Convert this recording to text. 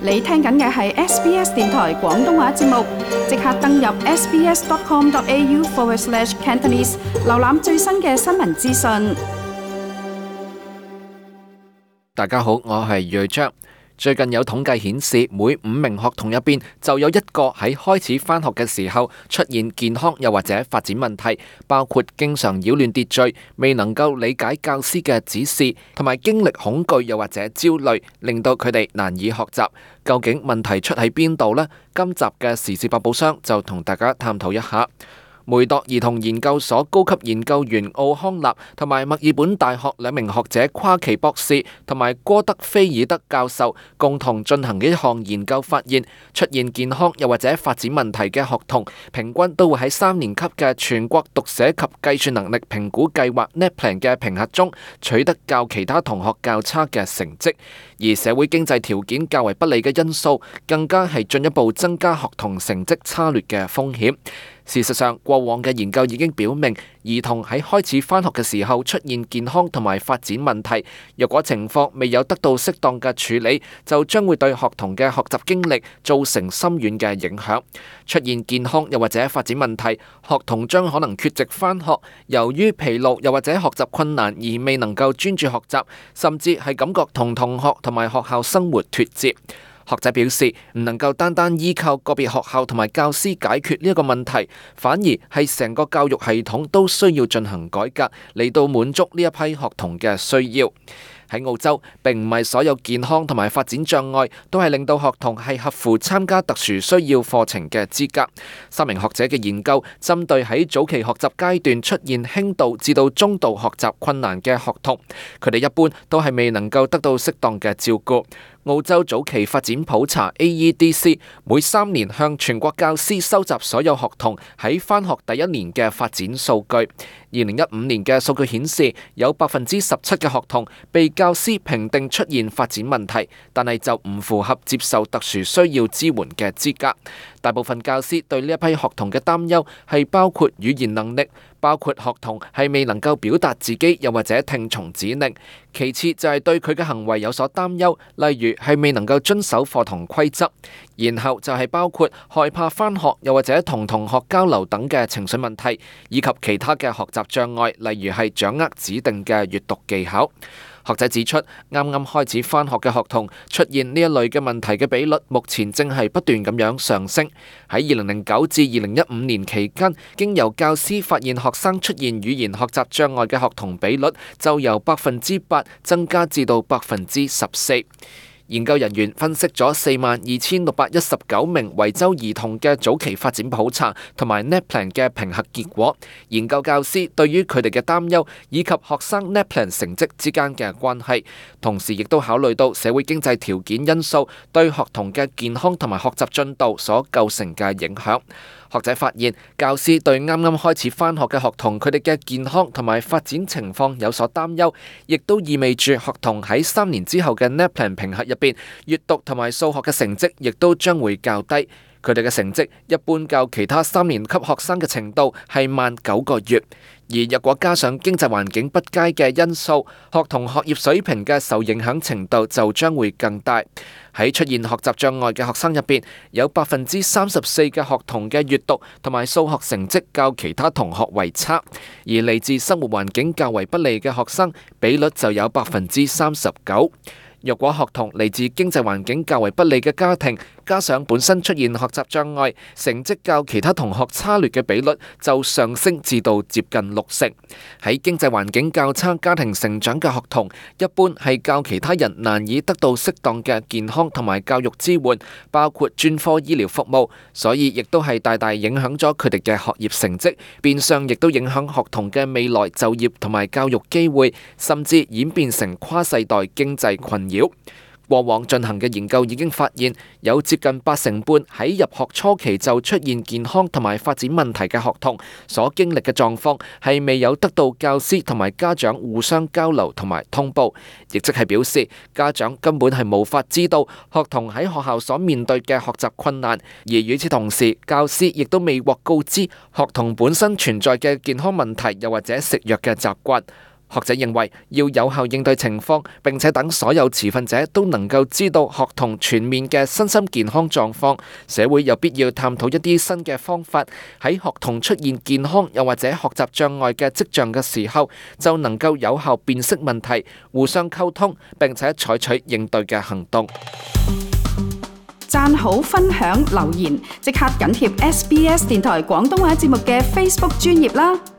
你聽緊嘅係 SBS 電台廣東話節目，即刻登入 sbs.com.au/cantonese 瀏覽最新嘅新聞資訊。大家好，我係睿章。最近有統計顯示，每5名學童入邊就有1個喺開始返學嘅時候出現健康又或者發展問題，包括經常擾亂秩序、未能夠理解教師嘅指示，同埋經歷恐懼又或者焦慮，令到佢哋難以學習。究竟問題出喺邊度呢？今集嘅時事百寶箱就同大家探討一下。梅鐸兒童研究所高級研究員奧康納同埋墨爾本大學2名學者夸奇博士同埋戈德菲爾德教授共同進行嘅一項研究發現，出現健康又或者發展問題嘅學童，平均都會喺3年級嘅全國讀寫及計算能力評估計劃 NAPLAN 嘅評核中取得較其他同學較差嘅成績，而社會經濟條件較為不利嘅因素，更加係進一步增加學童成績差劣嘅風險。事實上，過往嘅研究已經表明，兒童喺開始返學嘅時候出現健康同埋發展問題，若果情況未有得到適當嘅處理，就將會對學童嘅學習經歷造成深遠嘅影響。出現健康又或者發展問題，學童將可能缺席返學，由於疲勞又或者學習困難而未能夠專注學習，甚至係感覺同同學同埋學校生活脫節。學者表示，唔能夠單單依靠個別學校同埋教師解決呢一個問題，反而係成個教育系統都需要進行改革，嚟到滿足呢一批學童嘅需要。喺澳洲，並唔係所有健康同埋發展障礙都係令到學童係合乎參加特殊需要課程嘅資格。3名學者嘅研究針對喺早期學習階段出現輕度至到中度學習困難嘅學童，佢哋一般都係未能夠得到適當嘅照顧。澳洲早期發展普查 AEDC 每3年向全國教師收集所有學童喺返學第1年嘅發展數據。2015年嘅數據顯示，有17%嘅學童被教師評定出現發展問題，但係就唔符合接受特殊需要支援嘅資格。大部分教師對呢一批學童嘅擔憂係包括語言能力，包括學童係未能夠表達自己，又或者聽從指令。其次就係對佢嘅行為有所擔憂，例如係未能夠遵守課堂規則。然後就係包括害怕返學，又或者同同學交流等嘅情緒問題，以及其他嘅學習障礙，例如係掌握指定嘅閱讀技巧。學者指出，啱啱開始返學嘅學童出現呢一類嘅問題嘅比率，目前正係不斷咁樣上升。喺2009至2015年期間，經由教師發現學生出現語言學習障礙嘅學童比率，就由8%增加至到14%。研究人員分析咗42,619名維州兒童嘅早期發展普查同埋 NAPLAN 嘅評核結果，研究教師對於佢哋嘅擔憂以及學生 NAPLAN 成績之間嘅關係，同時亦都考慮到社會經濟條件因素對學童嘅健康同埋學習進度所構成嘅影響。學者發現，教師對啱啱開始返學嘅學童佢哋嘅健康同埋發展情況有所擔憂，亦都意味住學童喺3年之後嘅 NAPLAN 評核入邊，閱讀同埋數學嘅成績亦都將會較低。佢哋嘅成績一般較其他3年級學生嘅程度係慢9個月。而若果加上經濟環境不佳嘅因素，學童學業水平嘅受影響程度就將會更大。喺出現學習障礙嘅學生入邊，有34%嘅學童嘅閱讀同埋數學成績較其他同學為差，而嚟自生活環境較為不利嘅學生比率就有39%。若果學童嚟自經濟環境較為不利嘅家庭，加上本身出現學習障礙，成績較其他同學差劣嘅比率就上升至到接近60%。喺經濟環境較差家庭成長嘅學童，一般係較其他人難以得到適當嘅健康同埋教育支援，包括專科醫療服務，所以亦都係大大影響咗佢哋嘅學業成績，變相亦都影響學童嘅未來就業同埋教育機會，甚至演變成跨世代經濟困擾。過往進行嘅研究已經發現，有接近85%喺入學初期就出現健康同埋發展問題嘅學童所經歷嘅狀況係未有得到教師同埋家長互相交流同埋通報，亦即係表示家長根本係無法知道學童喺學校所面對嘅學習困難，而與此同時，教師亦都未獲告知學童本身存在嘅健康問題，又或者食藥嘅習慣。學者認為，要有效應對情況，並且等所有持份者都能夠知道學童全面嘅身心健康狀況，社會有必要探討一啲新嘅方法，喺學童出現健康又或者學習障礙嘅跡象嘅時候，就能夠有效辨識問題，互相溝通，並且採取應對嘅行動。讚好、分享、留言，即刻緊貼SBS 電台廣東話節目嘅 Facebook 專頁啦！